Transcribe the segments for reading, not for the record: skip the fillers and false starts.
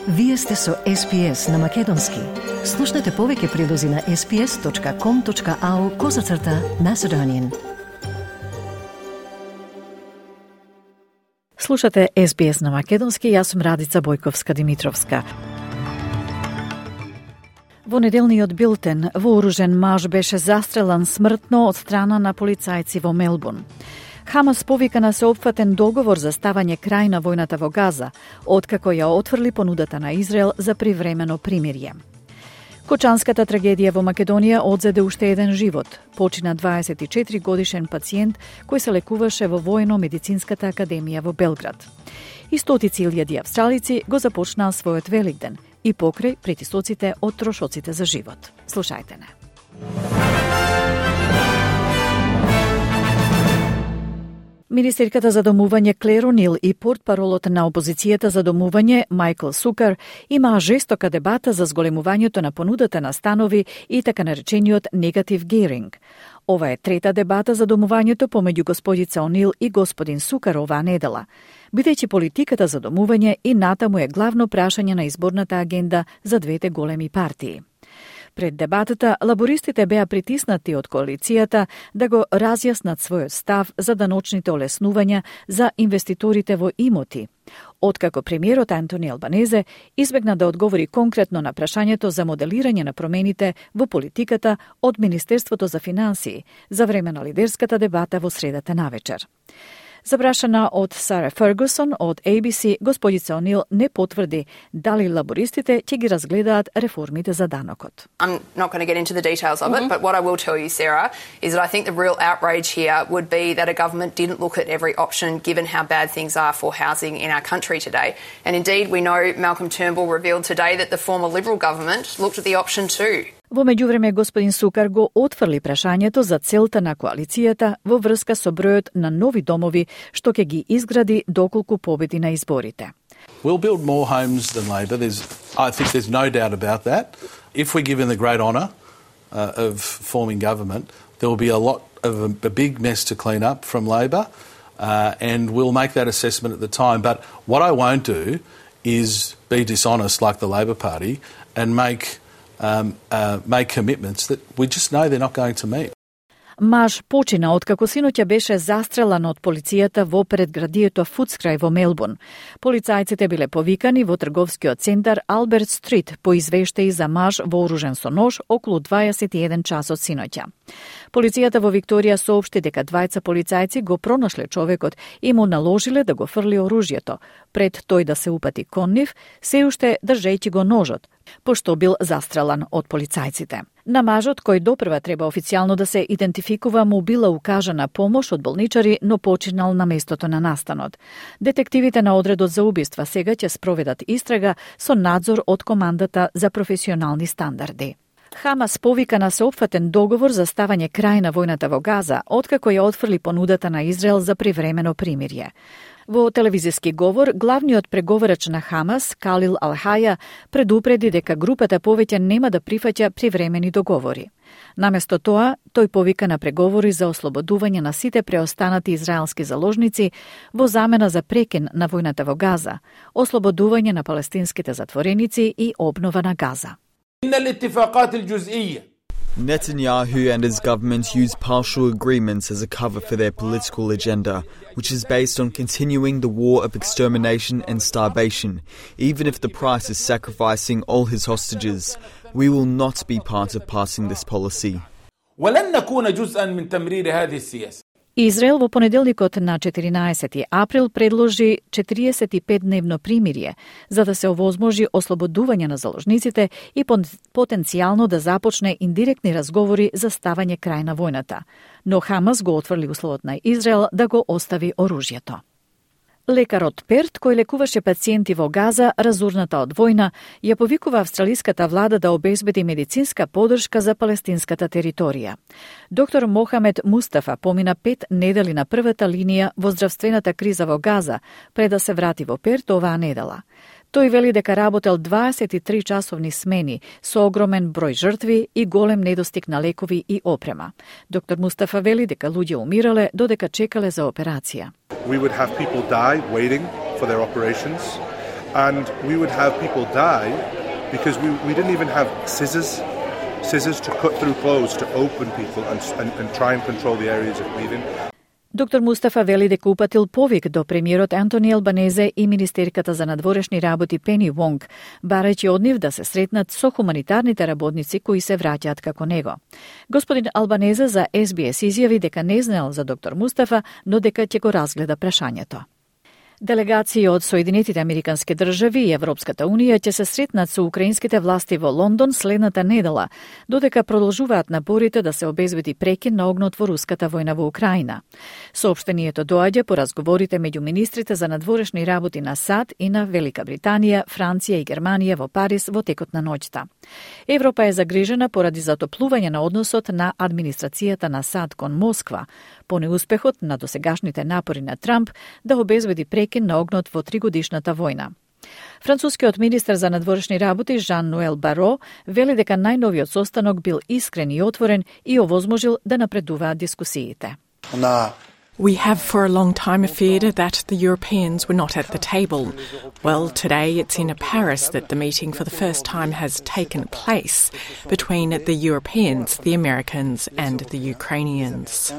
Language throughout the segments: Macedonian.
Вие сте со SPS на Македонски. Слушнете повеќе прилози на sps.com.au/Macedonian. Слушате SBS на Македонски, јас сум Радица Бојковска-Димитровска. Во неделниот билтен, вооружен маж беше застрелан смртно од страна на полицајци во Мелбурн. Хамас повика на сеопфатен договор за ставање крај на војната во Газа, откако ја отфрли понудата на Израел за привремено примирје. Кочанската трагедија во Македонија одзеде уште еден живот. Почина 24 годишен пациент кој се лекуваше во Војно-медицинската академија во Белград. И стотици илјади австралици го започнаа својот Великден и покрај притисоците од трошоците за живот. Слушајте не. Министерката за домување Клер О'Нил и портпаролот на опозицијата за домување Майкл Сукар имаа жестока дебата за зголемувањето на понудата на станови и така наречениот негатив гејринг. Ова е трета дебата за домувањето помеѓу господица О'Нил и господин Сукар оваа недела, бидејќи политиката за домување и натаму е главно прашање на изборната агенда за двете големи партии. Пред дебатата, лабористите беа притиснати од коалицијата да го разјаснат својот став за даночните олеснувања за инвеститорите во имоти, откако премиерот Антони Албанезе избегна да одговори конкретно на прашањето за моделирање на промените во политиката од Министерството за финансии за време на лидерската дебата во средата навечер. Запрашана од Сара Фергусон од ABC, господица О'Нил не потврди дали лабористите ќе ги разгледаат реформите за данокот. I'm not going to get into the details of it, but what I will tell you, Sarah, is that I think the real outrage here would be that a government didn't look at every option given how bad things are for housing in our country today. And indeed, we know Malcolm Turnbull revealed today that the former Liberal government looked at the option too. Во меѓувреме, господин Сукар го отфрли прашањето за целта на коалицијата во врска со бројот на нови домови што ќе ги изгради доколку победи на изборите. We'll build more homes than Labor. I think there's no doubt about that. If we're given the great honour of forming government, there will be a lot of a big mess to clean up from Labor, and we'll make that assessment at the time. But what I won't do is be dishonest like the Labor Party and make commitments that we just know they're not going to meet. Маж почина откако синоќа беше застрелан од полицијата во предградието Фудскрај во Мелбурн. Полицајците биле повикани во трговскиот центар Алберт Стрит по извештаи за маж вооружен со нож околу 21 часот синоќа. Полицијата во Викторија соопшти дека двајца полицајци го пронашле човекот и му наложиле да го фрли оружјето, пред тој да се упати кон нив, се уште држејќи го ножот, пошто бил застрелан од полицајците. На мажот, кој допрва треба официјално да се идентификува, му била укажана помош од болничари, но починал на местото на настанот. Детективите на одредот за убиства сега ќе спроведат истрага со надзор од командата за професионални стандарди. Хамас повика на сеопфатен договор за ставање крај на војната во Газа, откако ја отфрли понудата на Израел за привремено примирје. Во телевизиски говор, главниот преговарач на Хамас, Калил Ал-Хаја, предупреди дека групата повеќе нема да прифаќа привремени договори. Наместо тоа, тој повика на преговори за ослободување на сите преостанати израелски заложници во замена за прекин на војната во Газа, ослободување на палестинските затвореници и обнова на Газа. Netanyahu and his government use partial agreements as a cover for their political agenda, which is based on continuing the war of extermination and starvation, even if the price is sacrificing all his hostages. We will not be part of passing this policy. Израел во понеделникот на 14 април предложи 45-дневно примирје за да се овозможи ослободување на заложниците и потенцијално да започне индиректни разговори за ставање крај на војната. Но Хамас го отфрли условот на Израел да го остави оружјето. Лекарот Перт, кој лекуваше пациенти во Газа, разурната од војна, ја повикува австралиската влада да обезбеди медицинска поддршка за палестинската територија. Доктор Мохамед Мустафа помина 5 недели на првата линија во здравствената криза во Газа, пред да се врати во Перт оваа недела. Тој вели дека работел 23 часовни смени со огромен број жртви и голем недостиг на лекови и опрема. Доктор Мустафа вели дека луѓе умирале додека чекале за операција. We would have people die waiting for their operations. and we would have people die because we didn't even have scissors to cut through clothes to open people and try and control the areas of bleeding. Доктор Мустафа вели дека упатил повик до премиерот Антони Албанезе и министерката за надворешни работи Пени Вонг, барајќи од нив да се сретнат со хуманитарните работници кои се враќаат како него. Господин Албанезе за SBS изјави дека не знаел за доктор Мустафа, но дека ќе го разгледа прашањето. Делегации од Соединетите Американски држави и Европската Унија ќе се сретнат со украинските власти во Лондон следната недела, додека продолжуваат напорите да се обезбеди прекин на огнот во руската војна во Украина. Соопштението доаѓа по разговорите меѓу министрите за надворешни работи на САД и на Велика Британија, Франција и Германија во Париз во текот на ноќта. Европа е загрижена поради затоплување на односот на администрацијата на САД кон Москва, по неуспехот на досегашните напори на Трамп да обезбеди прекин на огнот во 3-годишната војна. Францускиот министер за надворешни работи Жан-Ноел Баро вели дека најновиот состанок бил искрен и отворен и овозможил да напредуваат дискусиите. We have for a long time feared that the Europeans were not at the table. Well, today it's in Paris that the meeting for the first time has taken place between the Europeans, the Americans and the Ukrainians.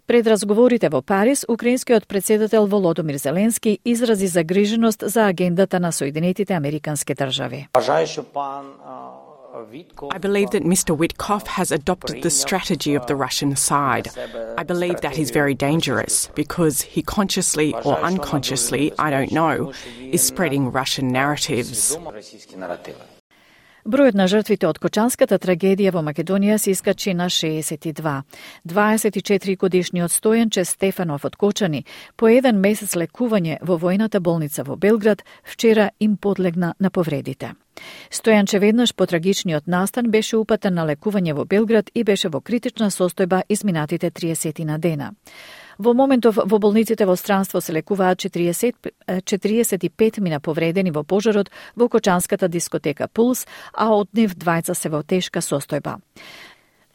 Пред разговорите во Париз, украинскиот председател Володомир Зеленски изрази загриженост за агендата на Соединетите Американски држави. I believe that Mr. Witkoff has adopted the strategy of the Russian side. I believe that is very dangerous because he consciously or unconsciously, I don't know, is spreading Russian narratives. Бројот на жртвите од Кочанската трагедија во Македонија се искачи на 62. 24-годишниот Стојанче Стефанов од Кочани, по еден месец лекување во војната болница во Белград, вчера им подлегна на повредите. Стојанче веднаш по трагичниот настан беше упатен на лекување во Белград и беше во критична состојба изминатите 30 на дена. Во моментов во болниците во странство се лекуваат 45 мина повредени во пожарот во Кочанската дискотека Пулс, а од нив двајца се во тешка состојба.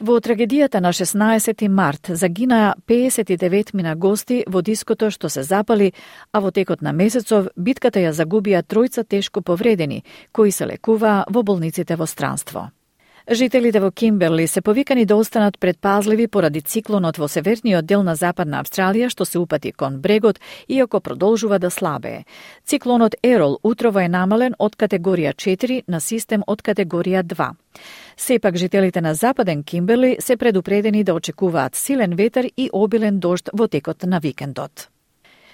Во трагедијата на 16 март загинаа 59 мина гости во диското што се запали, а во текот на месецов битката ја загубија тројца тешко повредени, кои се лекуваа во болниците во странство. Жителите во Кимберли се повикани да останат предпазливи поради циклонот во северниот дел на Западна Австралија што се упати кон брегот, иако продолжува да слабее. Циклонот Ерол утрово е намален од категорија 4 на систем од категорија 2. Сепак жителите на Западен Кимберли се предупредени да очекуваат силен ветер и обилен дожд во текот на викендот.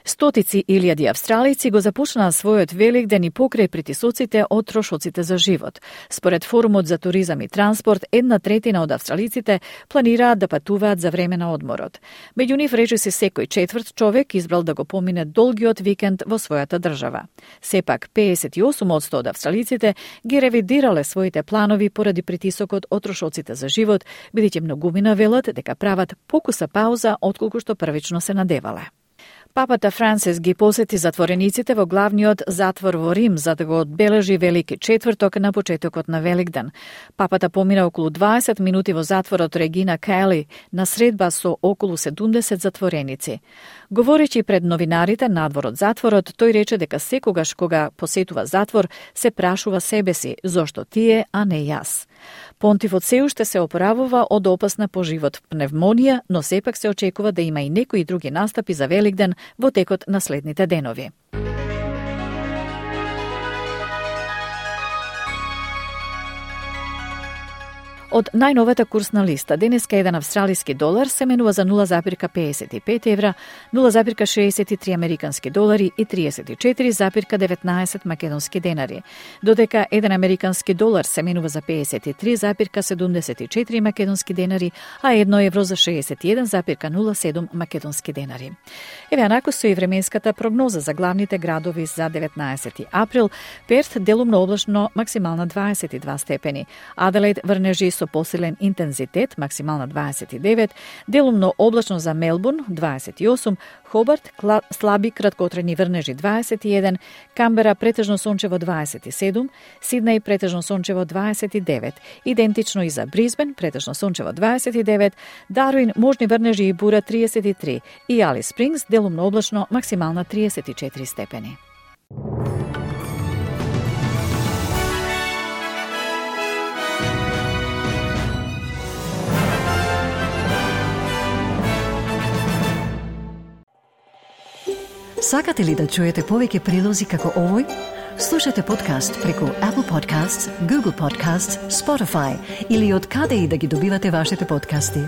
Стотици илјади австралици го започнаа својот Великден и покрај притисоците од трошоците за живот. Според Форумот за туризам и транспорт, 1/3 од австралиците планираат да патуваат за време на одморот. Меѓу нив речиси секој четврт човек избрал да го помине долгиот викенд во својата држава. Сепак 58% од австралиците ги ревидирале своите планови поради притисокот од трошоците за живот, бидејќи многумина велат дека прават покуса пауза отколку што првично се надевале. Папата Франсис ги посети затворениците во главниот затвор во Рим за да го одбележи Велики четврток на почетокот на Великден. Папата помина околу 20 минути во затворот Регина Кели на средба со околу 70 затвореници. Говорејќи пред новинарите надвор од затворот, тој рече дека секогаш кога посетува затвор се прашува себе си зошто тие, а не јас. Понтифот се уште се опоравува од опасна по живот пневмонија, но сепак се очекува да има и некои други настапи за Великден во текот на следните денови. Од најновата курсна листа, денеска еден австралиски долар се менува за 0,55 евра, 0,63 американски долари и 34,19 македонски денари, додека еден американски долар се менува за 53,74 македонски денари, а 1 евро за 61,07 македонски денари. Еве анако со и временската прогноза за главните градови за 19 април. Перт делумно облачно, максимална 22 степени. Аделаид врнежи со посилен интензитет, максимална 29, делумно облачно за Мелбурн 28, Хобарт слаби краткотрajни врнежи 21, Камбера претежно сончево 27, Сиднеј претежно сончево 29, идентично и за Бризбен претежно сончево 29, Дарвин можни врнежи и бура 33 и Алис Спрингс делумно облачно, максимална 34 степени. Сакате ли да чуете повеќе прилози како овој? Слушате подкаст преку Apple Podcasts, Google Podcasts, Spotify или од каде и да ги добивате вашите подкасти.